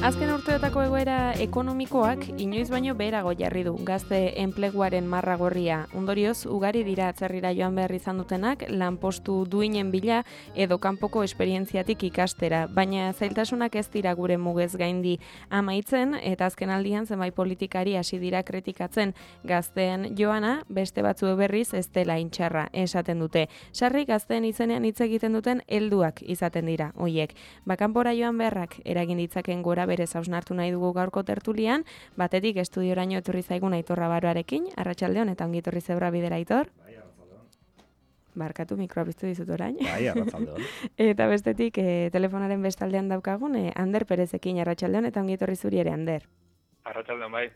Azken urteotako egoera ekonomikoak inoiz baino beherago jarri du gazte enpleguaren marra gorria. Ondorioz, ugari dira atzerrira joan behar izan dutenak lanpostu duinen bila edo kanpoko esperientziatik ikastera, baina zailtasunak ez dira gure mugez gaindi amaitzen eta azken aldian zenbait politikari hasi dira kritikatzen gazteen joana, beste batzu berriz ez dela intxarra esaten dute. Sarri gazteen izenean hitz egiten duten helduak izaten dira hoiek. Kanpora joan beharrak eragin ditzaken gora berez hausnartu nahi dugu gaurko tertulian, batetik estudioraino etorri zaigun Aitor Rabaroarekin, arratsaldeon eta ongi etorri zebra bidera Aitor. Bai, arratsaldeon. Barkatu, mikroa piztu dizut orain. Bai, arratsaldeon. Eta bestetik telefonaren bestaldean daukagun Ander Perezekin, arratsaldeon eta ongi etorri zuri ere, Ander. Arratsaldeon, bai.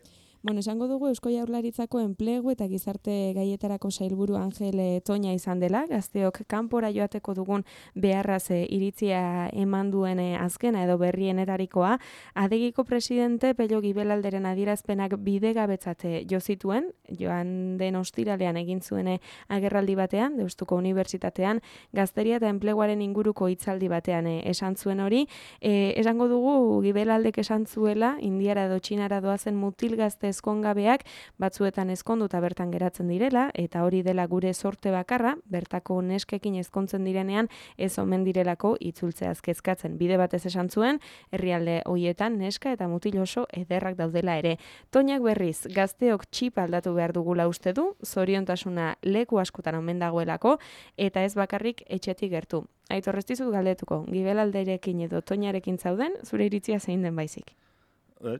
Esango dugu Eusko Jaurlaritzako enplegu eta gizarte gaietarako sailburu Angel Toña izan dela, gazteok kanpora joateko dugun beharraz iritzia eman duen azkena edo berrienetarikoa, adegiko presidente Pello Gibelalderen adierazpenak bidegabetzat jo zituen, joan den ostiralean egin zuen agerraldi batean, Deustuko Unibertsitatean, gazteria eta enpleguaren inguruko hitzaldi batean esan zuen hori. Esango dugu Gibelaldek esan zuela, Indiara edo Txinara doazen mutil gazte ezkongabeak batzuetan ezkonduta bertan geratzen direla, eta hori dela gure sorte bakarra, bertako neskekin ezkontzen direnean ez omen direlako itzultzeaz kezkatzen. Bide batez esan zuen, herrialde hoietan neska eta mutil oso ederrak daudela ere. Toñak berriz, gazteok txip aldatu behar dugula uste du, zoriontasuna leku askotan omen dagoelako, eta ez bakarrik etxetik gertu. Aitor, ez dizut galdetuko, Gibelalderekin edo Toñarekin zauden, zure iritzia zein den baizik?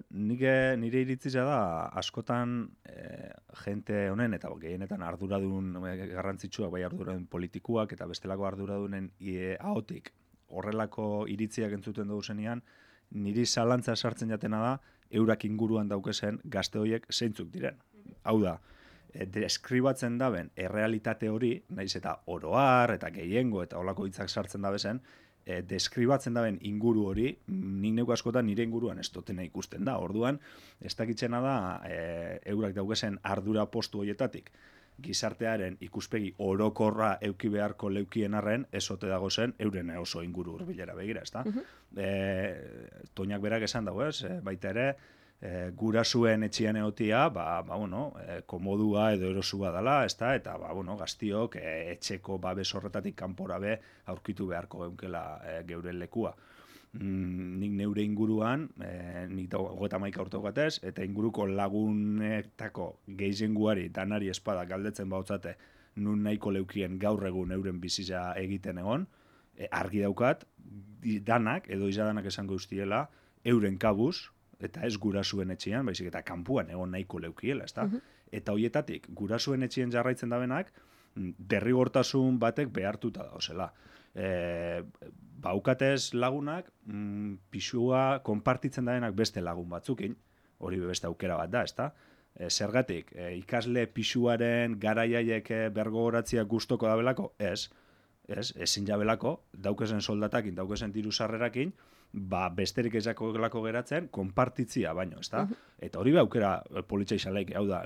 Nire iritzia da askotan jente honen eta gehienetan arduradun garrantzitsuak, bai arduradun politikuak eta bestelako arduradunen ahotik horrelako iritziak entzuten dugu zenean, niri zalantza sartzen jatena da eurak inguruan daukezen gazte horiek zeintzuk diren. Hau da, deskribatzen daben errealitate hori, naiz eta oroar eta gehiengo eta holako hitzak sartzen dabezen, deskribatzen daben inguru hori, nik neuk askotan nire inguruan ez dutena ikusten da. Orduan, ez dakitzena da, eurak daukezen ardura postu horietatik, gizartearen ikuspegi orokorra euki beharko leukien arren, ez ote dago zen, euren oso inguru hurbilera begira, ezta? Toñak berak esan dago, ez? Baita ere, gurasuen etxian egotia, komodua edo erosua dela, ezta? Eta, gaztiok etxeko babes horretatik kanpora be aurkitu beharko eukela geuren lekua. Nik neure inguruan, nik 31 urte gatez, eta inguruko lagunetako gehienguari danari espada galdetzen bautzate nun nahiko leukien gaur egun euren bizitza egiten egon, argi daukat, danak, edo izadanak esango ustiela, euren kabuz, eta ez gurasuen etxean, baizik eta kanpuan egon nahiko leukiela, ezta? Eta hoietatik, gurasuen etxean jarraitzen dabenak, derrigortasun batek behartuta dauzela. Baukatez lagunak, pisua konpartitzen dabenak beste lagun batzukin, hori beste aukera bat da, ezta? Zergatik, ikasle pisuaren garaiaiek bergogoratzia gustoko dabelako? Ezin jabelako, daukezen soldatakin, daukezen diru sarrerakin, besterik ezakolako geratzen, konpartitzia baino, ezta? Eta hori aukera politxa izan laik, hau da,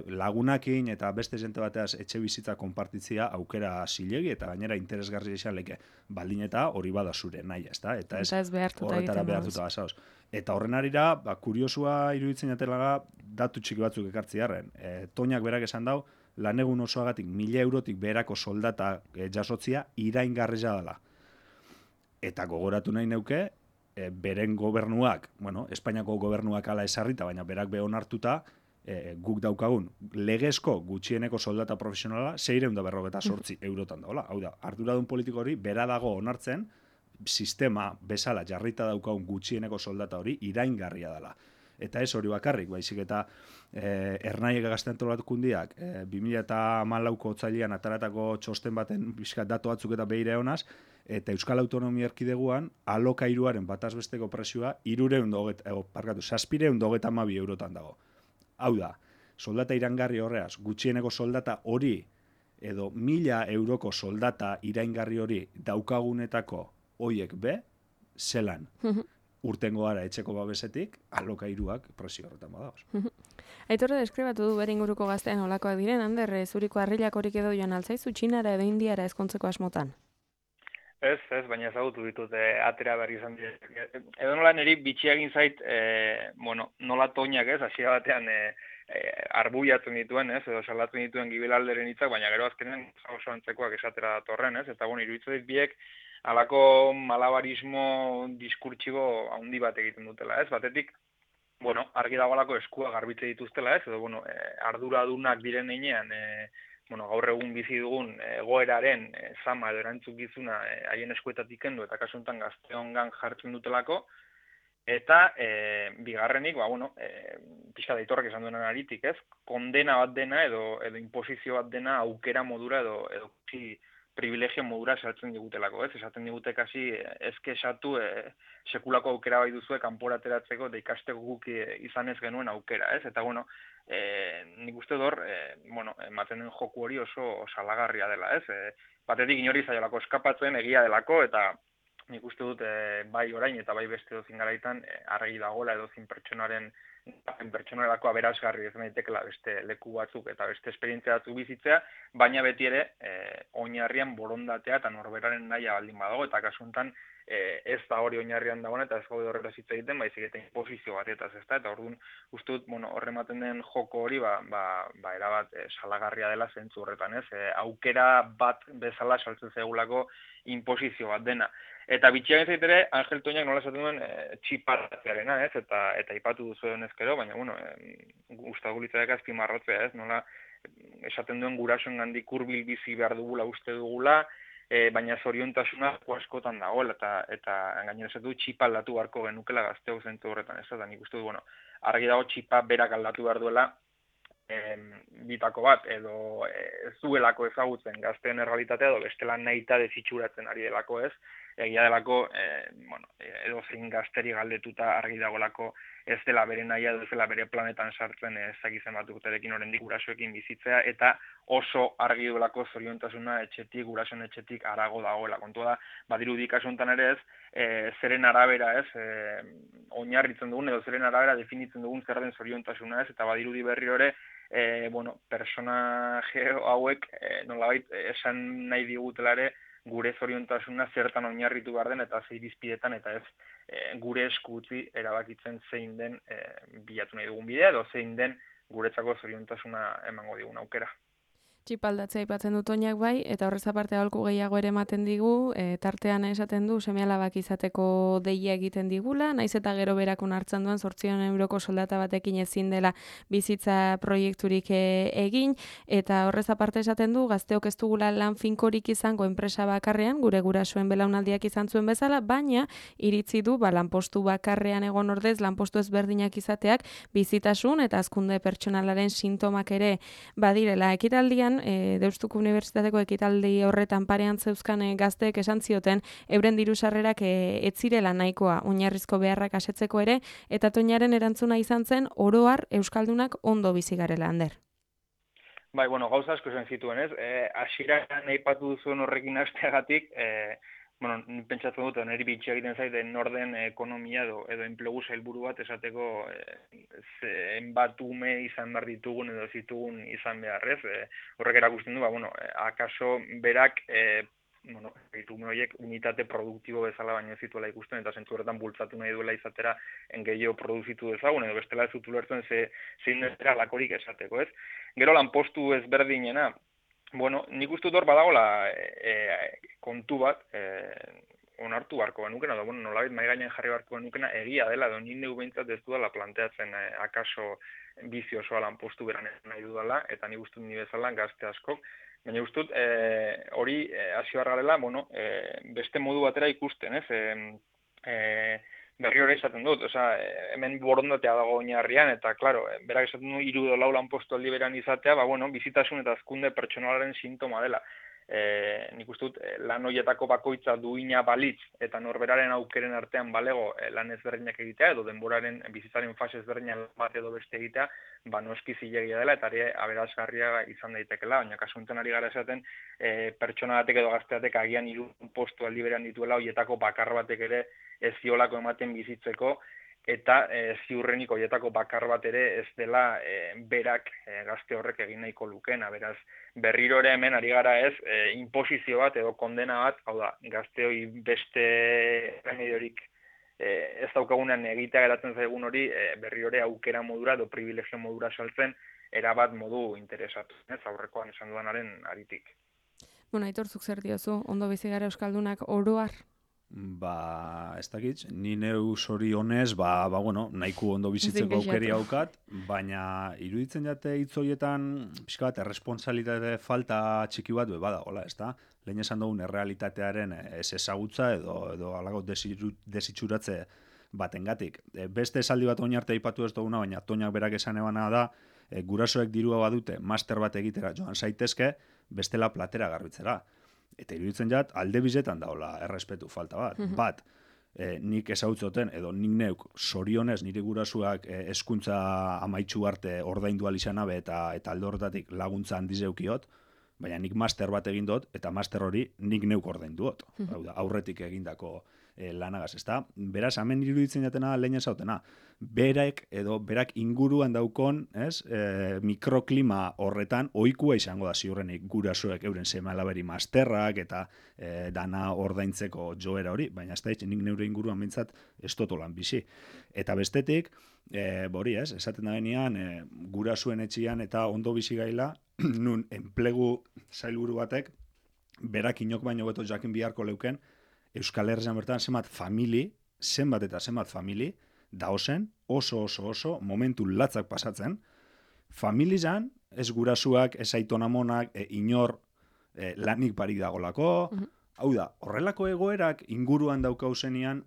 lagunakin eta beste jente bateaz etxe bizitza konpartitzia aukera zilegi eta gainera interesgarri izan laik, baldin eta hori bada zure nahi, ezta? Eta ez horretara behartuta bazauz. Eta horren arira, kuriosua iruditzen jatela datu txiki batzuk ekartzi harren. Toñak berak esan dau, lanegun osoagatik 1.000 eurotik beherako soldata jasotzia iraingarria dela. Eta gogoratu nahi neuke, beren gobernuak, Espainiako gobernuak ala esarrita, baina berak behon hartuta, guk daukagun legezko gutxieneko soldata profesionala 648 eurotan dagoela. Hau da, arduradun politiko hori bera dago onartzen, sistema bezala jarrita daukagun gutxieneko soldata hori iraingarria dela. Eta ez hori bakarrik, baizik eta Ernaiek gaztentolatukundiak 2014ko otsailean ataratako txosten baten pixkat datu batzuk eta behire honaz, eta Euskal Autonomia Erkideguan alokairuaren bataz besteko prezioa 712 eurotan dago. Hau da, soldata iraingarri horreaz, gutxieneko soldata hori, edo 1.000 euroko soldata iraingarri hori daukagunetako hoiek be, zelan urtengo gara etxeko babesetik, alokairuak presio horretan badagoz. Aitorre deskribatu du bere inguruko gaztean olakoak diren, Ander, zuriko harrilak horik edo joan altzaizu, Txinara edo Indiara ezkontzeko asmotan? Ez, baina ezagutu ditut atera berri izan dira. Edo nola niri bitxia egin zait, nola toinak ez, hasiera batean arbuiatzen dituen, ez, edo salatzen dituen gibilalderen hitzak, baina gero azkenean oso antzekoak esatera datorren, ez, eta iruditzen dit biek halako malabarismo diskurtsibo handi bat egiten dutela, ez, batetik, argi dagoelako eskua garbitze dituztela, ez, edo, arduradunak diren heinean, gaur egun bizi dugun egoeraren zama edo erantzukizuna haien eskuetatik kendu eta kasu honetan gazteongan jartzen dutelako, eta bigarrenik, pixka da Aitorrek esan duenan aritik, ez, kondena bat dena edo imposizio bat dena aukera modura edo privilegio modura saltzen digutelako, ez? Esaten digute kasi esatu sekulako aukera bai duzue kanpora ateratzeko eta ikasteko guk izan ez genuen aukera, ez? Eta nik uste dor, ematen den joku hori oso salagarria dela, ez? Batetik inori zaiolako eskapatzen egia delako eta nik uste dut bai orain eta bai beste dozin garaitan argi dagoela edozin pertsonarako aberasgarri ez daitekela beste leku batzuk eta beste esperientzia batzuk bizitzea, baina beti ere oinarrian borondatea eta norberaren nahia baldin badago, eta kasu honetan ez da hori oinarrian dagoen eta ez gaude horretaz hitz egiten, baizik eta inposizio batetaz, ezta? Eta orduan uste dut, horrematen den joko hori erabat salagarria dela zentzu horretan, ez? Aukera bat bezala saltzen zaigulako inposizio bat dena. Eta bitxiak ez ere, Angel Toñak nola esaten duen txiparratzearena, ez? Eta ipatu duzu denezkero, baina, gustago litzateke azpimarratzea, ez? Nola esaten duen gurasoen gandik hurbil bizi behar dugula, uste dugula, baina zoriontasuna askotan dagoela, eta gainera esatu txipa aldatu beharko genukela gazteo zentzu horretan, ez? Eta nik uste du, argi dago txipa berak aldatu behar duela, bitako bat, edo ez duelako ezagutzen gazteen errealitatea, edo bestela nahita desitxuratzen ari delako, ez? Egia delako, edo zein gazteri galdetuta argi dagoelako ez dela bere nahia, ez dela bere planetan sartzen ezagizen bat urterekin oraindik gurasoekin bizitzea, eta oso argi duelako zoriontasuna etxetik, gurasoen etxetik harago dagoela. Kontua da, badirudi kasu honetan ere ez, zeren arabera ez, oinarritzen dugun, edo zeren arabera definitzen dugun zer den zoriontasuna ez, eta badirudi berriro ere, personaje hauek nolabait esan nahi digutela ere gure zoriontasuna zertan oinarritu behar den eta ze irizpidetan eta ez gure esku utzi erabakitzen zein den bilatu nahi dugun bidea edo zein den guretzako zoriontasuna emango digun aukera. Txipaldatzea aipatzen dut Toñak bai, eta horrez aparte aholku gehiago ere ematen digu, tartean esaten du seme-alabak izateko deia egiten digula, naiz eta gero berakun hartzen duen 800 euroko soldata batekin ezin dela bizitza proiekturik egin, eta horrez aparte esaten du gazteok ez dugula lan finkorik izango enpresa bakarrean, gure gurasoen belaunaldiak izan zuen bezala, baina iritzi du lanpostu bakarrean egon ordez, lanpostu ezberdinak izateak bizitasun eta hazkunde pertsonalaren sintomak ere badirela. Ekitaldian Deustuko Unibertsitateko ekitaldi horretan parean zeuzkan gazteek esan zioten euren diru-sarrerak ez zirela nahikoa oinarrizko beharrak asetzeko ere, eta Toñaren erantzuna izan zen oroar euskaldunak ondo bizi garela, Ander. Bai, gauza asko esan zituen, ez? Hasieran aipatu duzuen horrekin hasteagatik, pentsatzen dut, niri bitxia egiten zaiten norden ekonomia edo enplegu sailburu bat esateko zenbat ume izan behar ditugun edo zitugun izan beharrez. Horrek erakusten du, akaso berak ume horiek unitate produktibo bezala baino ez zituela ikusten eta zentzu horretan bultzatu nahi duela izatera gehiago produzitu dezagun edo bestela ez zutu lertzen zein dezera lakorik esateko, ez? Gero lanpostu ezberdinena, nik uste dut hor badagoela kontu bat onartu beharko genukena, edo nolabait mahai gainean jarri beharko genukena egia dela, edo nindegu behintzat ez dudala planteatzen akaso bizi osoa lanpostu beran nahi dudala, eta nik uste dut ni bezala gazte askok, baina uste dut hori hasi behar garela, beste modu batera ikusten, ez? Berri hori esaten dut, hemen borondatea dago oinarrian, eta, klaro, berak esaten du 3 edo 4 lanpostu aldi beran izatea, bizitasun eta hazkunde pertsonalaren sintoma dela. nik uste dut lan horietako bakoitza duina balitz eta norberaren aukeren artean balego lan ezberdinak egitea edo denboraren bizitzaren fase ezberdinak bat edo beste egitea, noski zilegia dela eta aberasgarria izan daitekela, baina kasu honetan ari gara esaten pertsona batek edo gazte batek agian 3 postu aldi berean dituela, horietako bakar batek ere ez ziolako ematen bizitzeko, eta ziurrenik horietako bakar bat ere ez dela berak gazte horrek egin nahiko lukena. Beraz, berriro ere hemen ari gara ez, inposizio bat edo kondena bat, hau da, gazteoi beste remediorik ez daukagunean egitea geratzen zaigun hori, berriro ere aukera modura edo privilegio modura saltzen, erabat modu interesatu, ez aurrekoan esan dudanaren aritik. Bueno, Aitor, zuk zer diozu, ondo bizi gara euskaldunak oroar? Ez dakit, ni neu zorionez, bueno, nahiko ondo bizitzeko aukeri haukat, baina iruditzen jate hitz horietan, pixka bat, erresponsabilitate falta txiki bat bada, hola, ez da? Lehen esan dugun errealitatearen ez ezagutza edo alago desitxuratze batengatik. Beste esaldi bat oin arte aipatu ez duguna, baina Toñak berak esan ebana da, gurasoek dirua badute, master bat egitera joan zaitezke, bestela platera garbitzera. Eta iruditzen jat, alde bizetan daola errespetu falta bat. Bat, nik ezautzoten, edo nik neuk zorionez nire gurasuak hezkuntza amaitsu arte ordaindu izan abe eta alde horretatik laguntza handizeukiot, baina nik master bat egin dut, eta master hori nik neuk ordainduot. Hau da, aurretik egindako lanagaz, ezta? Beraz, hemen iruditzen jatena lehen ezautena. Berak inguruan daukon, mikroklima horretan ohikoa izango da ziurrenik gurasoek euren seme-alaberi masterrak eta dana ordaintzeko joera hori, baina ez da nik neure inguruan mintzat ez totolan bizi. Eta bestetik, esaten da benean, gurasuen etxian eta ondo bizi gaila, nun enplegu sailburu batek, berak inok baino beto jakin biharko leuken, Euskal Herrian bertan zenbat famili, daozen oso momentu latzak pasatzen, familizan, ez gurasuak, ez aitonamonak, inor lanik barik dagolako, hau da, horrelako egoerak inguruan daukauzenean,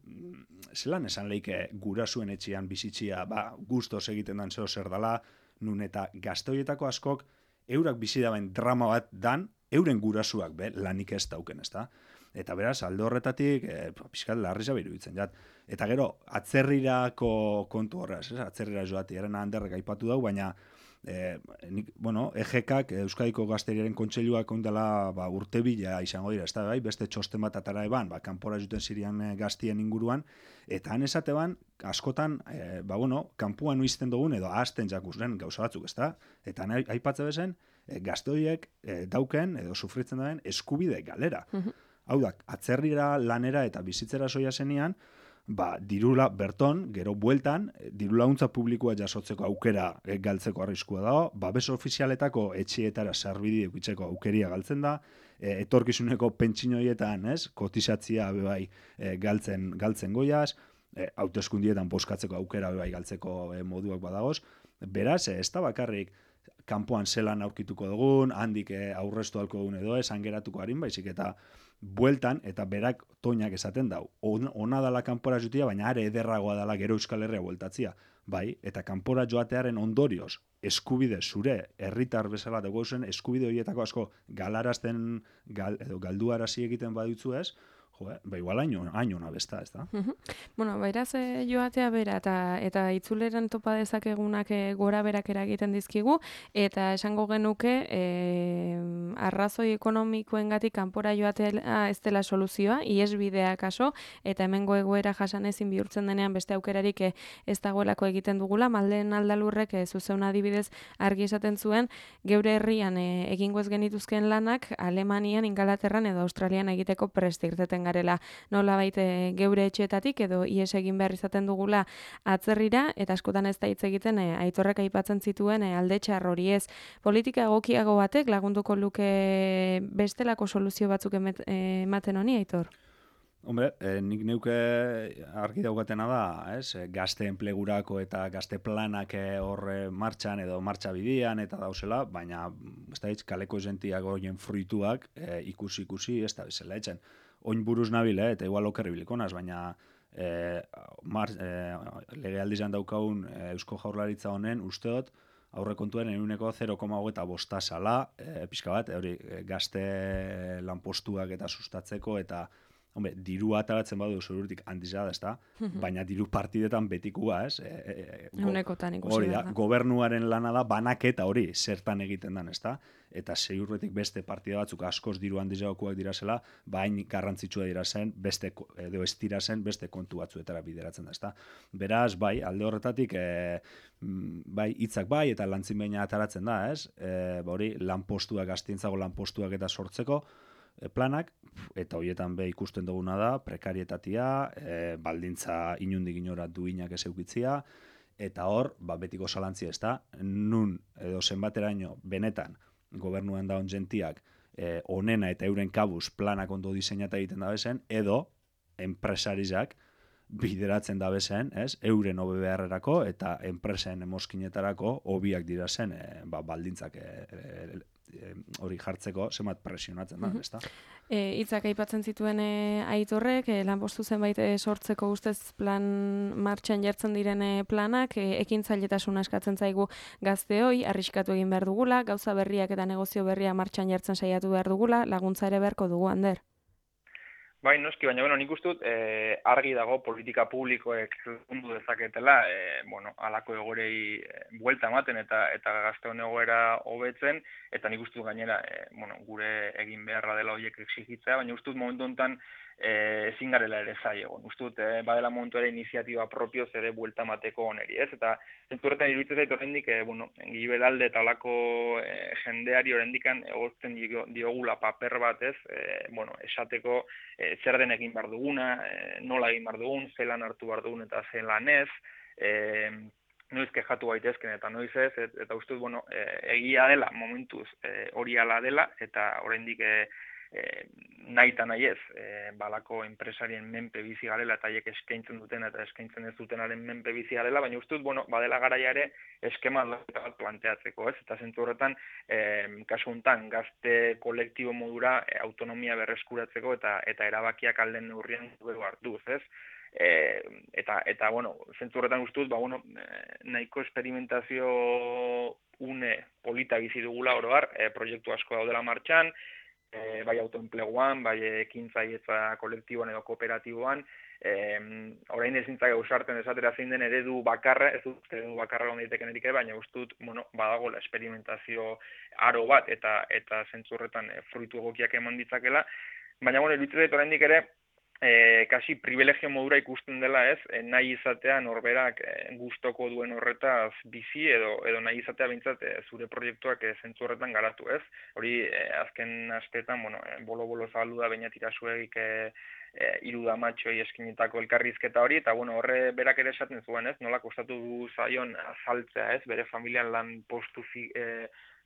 zelan esan leike gurasuen etxean bizitzia, gustos egiten dan zeo zer dala, nun eta gaztoietako askok, eurak bizi daben drama bat dan, euren gurasuak lanik ez dauken, ez da? Eta beraz, alde horretatik, pixkat larriza iruditzen jat. Eta gero, atzerrirako kontu horraz, atzerrira joati, erena handerrek aipatu dau, baina EGK, Euskadiko Gazteriaren Kontseiluak ondela urte bila izango dira, ez da, beste txosten bat atara eban, kanpora juten zirian gaztien inguruan, eta han esate ban, askotan, kanpuan uizten dugun, edo ahazten jakuzen gauza batzuk, ez da? Eta aipatze bezen, gaztoiek dauken, edo sufritzen duen, eskubide galera. Hau da, atzerrira lanera eta bizitzera soia zenian, dirula berton, gero bueltan, diru laguntza publikoa jasotzeko aukera galtzeko arriskua dago, babes ofizialetako etxeetara sarbide eukitzeko aukeria galtzen da, etorkizuneko pentsinoietan, kotizatzia bebai galtzen goiaz, hauteskundietan bozkatzeko aukera bebai galtzeko moduak badagoz. Beraz, ez da bakarrik kanpoan zelan aurkituko dugun, handik aurreztu halko dugun edo, esan geratuko harin, baizik eta bueltan, eta berak Toñak esaten dau. Ona dala kanpora jutia, baina are ederragoa dala gero Euskal Herria bueltatzia. Bai, eta kanpora joatearen ondorioz, eskubide zure herritar bezala dago zen, eskubide horietako asko galarazten, edo galduarazi egiten badutzu ez, igual haino nabesta, ez da? Bueno, bairaz joatea bera, eta itzuleran topa dezakegunak gora berak eragiten dizkigu, eta esango genuke arrazoi ekonomikoengatik kanpora joatea ez dela soluzioa, iesbidea kaso, eta hemengo egoera jasan ezin bihurtzen denean beste aukerarik ez dagoelako egiten dugula, Maldeen Aldalurrek zuzeun adibidez argi esaten zuen, geure herrian egingo ez genituzken lanak Alemanian, Ingalaterran edo Australian egiteko prest irteten garela, nolabait geure etxeetatik edo ies egin behar izaten dugula atzerrira, eta askotan ez da hitz egiten Aitorrek aipatzen zituen alde txar hori ez. Politika egokiago batek lagunduko luke bestelako soluzio batzuk ematen honi, Aitor? Hombre, nik neuke argi daugatena da, gazte enplegurako eta gazte planak hor martxan edo martxa bidian eta dauzela, baina ez da hitz kaleko jentiak horien fruituak ikusi, ez da bezala etxen. Oin buruz nabil, eta igual okerri bilikonaz, baina lege aldizan daukagun Eusko Jaurlaritza honen usteot, aurrekontuen 0,25 zala, pixka bat, hori gazte lanpostuak eta sustatzeko, eta diru ataratzen badu zurutik handiza da, ezta? Baina diru partidetan betikua, ez? Unekotan ikusi hori da, gobernuaren lana da banaketa hori zertan egiten dan, ezta? Eta ziurretik beste partida batzuk askoz diru handizagokuak dira bain garrantzitsua dira zen, edo ez dira zen beste kontu batzuetara bideratzen da, ezta? Beraz, bai, alde horretatik, bai, hitzak bai, eta lantzin baina ataratzen da, ez? Hori, lanpostuak, gaztientzago lanpostuak eta sortzeko, planak, eta horietan be ikusten duguna da, prekarietatia, baldintza inundik inora duinak ez eukitzia, eta hor, betiko zalantzia ez da, nun edo zenbateraino benetan gobernuan daun jentiak onena eta euren kabuz planak ondo diseinata egiten da bezen, edo enpresarizak bideratzen da bezen, ez, euren hobe beharrerako eta enpresen emoskinetarako hobiak dira zen baldintzak hori jartzeko zenbat presionatzen da, ezta? Hitzak aipatzen zituen Aitorrek, lanpostu zenbait sortzeko ustez plan martxan jartzen diren planak, ekintzailetasuna eskatzen zaigu gazteoi, arriskatu egin behar dugula, gauza berriak eta negozio berria martxan jartzen saiatu behar dugula, laguntza ere beharko dugu, Ander. Bai, noski, baina nik uste dut argi dago politika publikoek lagundu dezaketela, halako egorei buelta ematen eta gazteon egoera hobetzen, eta nik uste dut gainera, gure egin beharra dela horiek exigitzea, baina uste dut momentu honetan ezin garela ere zai egon. Uste dut, badela momentu ere iniziatiba propioz ere buelta emateko oneri, ez? Eta zenturretan iruditzen zait horrendik, Giberalde eta olako jendeari horrendikan egozten diogula paper bat, ez? Esateko zer den egin behar duguna, nola egin behar dugun, zelan hartu behar dugun eta zelan ez, noiz kexatu gaitezken eta noiz ez, eta uste dut, egia dela, momentuz hori ala dela, eta oraindik nahi eta nahi ez, balako enpresarien menpe bizi garela eta haiek eskaintzen duten eta eskaintzen ez dutenaren menpe bizi garela, baina uste dut, badela garaia ere eskema aldaketa bat planteatzeko, ez? Eta zentzu horretan, kasu honetan, gazte kolektibo modura autonomia berreskuratzeko eta erabakiak alden neurrian dugu hartuz, ez? Eta zentzu horretan uste dut, nahiko esperimentazio une polita bizi dugula oroar, proiektu asko daudela martxan, bai autoenpleguan, bai ekintzailetza kolektiboan edo kooperatiboan, orain ezintzak ausartzen esatera zein den eredu bakarra, ez dut eredu bakarra lon daiteken erik ere, baina uste dut, badagoela esperimentazio aro bat eta zentzu horretan fruitu egokiak eman ditzakela, baina iruditzen zait oraindik ere kasi privilegio modura ikusten dela, ez, nahi izatea norberak gustoko duen horretaz bizi edo nahi izatea behintzat zure proiektuak zentzu horretan garatu, ez? Hori azken asteetan, bolo-bolo zabaldu da baina tirasuegik iruda matxoi eskinetako elkarrizketa hori, eta horre berak ere esaten zuen, ez? Nola kostatu zaion azaltzea, ez? Bere familian lan postu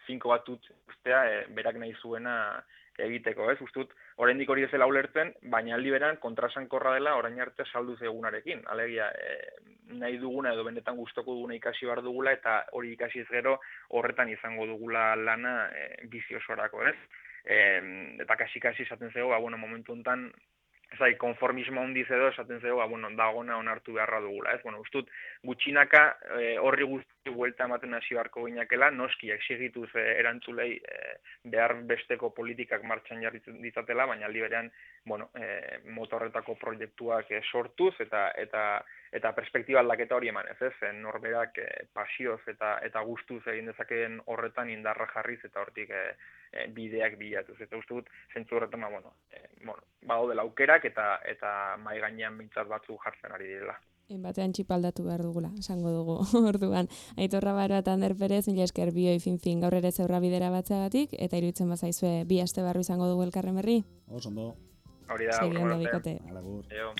finko bat ustea, berak nahi zuena egiteko, ez? Ustut, oraindik hori ez dela ulertzen, baina aldi beran kontrasankorra dela orain arte saldu zegunarekin. Alegia, nahi duguna edo benetan gustoko duguna ikasi behar dugula eta hori ikasi ez gero horretan izango dugula lana bizi osorako, ez? Eta kasi esaten zego, momentu honetan konformismo handiz edo esaten zego, dagona onartu beharra dugula, ez? Ustut, gutxinaka horri guzti buelta ematen hasi beharko ginakela, noski exigituz erantzulei behar besteko politikak martxan jarri ditzatela, baina aldi berean, motorretako proiektuak sortuz eta perspektiba aldaketa hori eman ez, norberak pasioz eta gustuz egin dezakeen horretan indarra jarriz eta hortik bideak bilatuz. Eta uste dut, zentzu horretan, dela aukerak eta mai gainean bintzat batzu jartzen ari direla. Batean txipaldatu behar dugula, esango dugu orduan. Aitor Rabaroa eta Ander Perez, mila esker bioi fin gaur ere zeurra bidera batzeagatik, eta iruditzen bazaizue bi aste barru izango dugu elkarren berri. Oso ondo. Hori da, Segi ondo bikote. Alagur. Eo.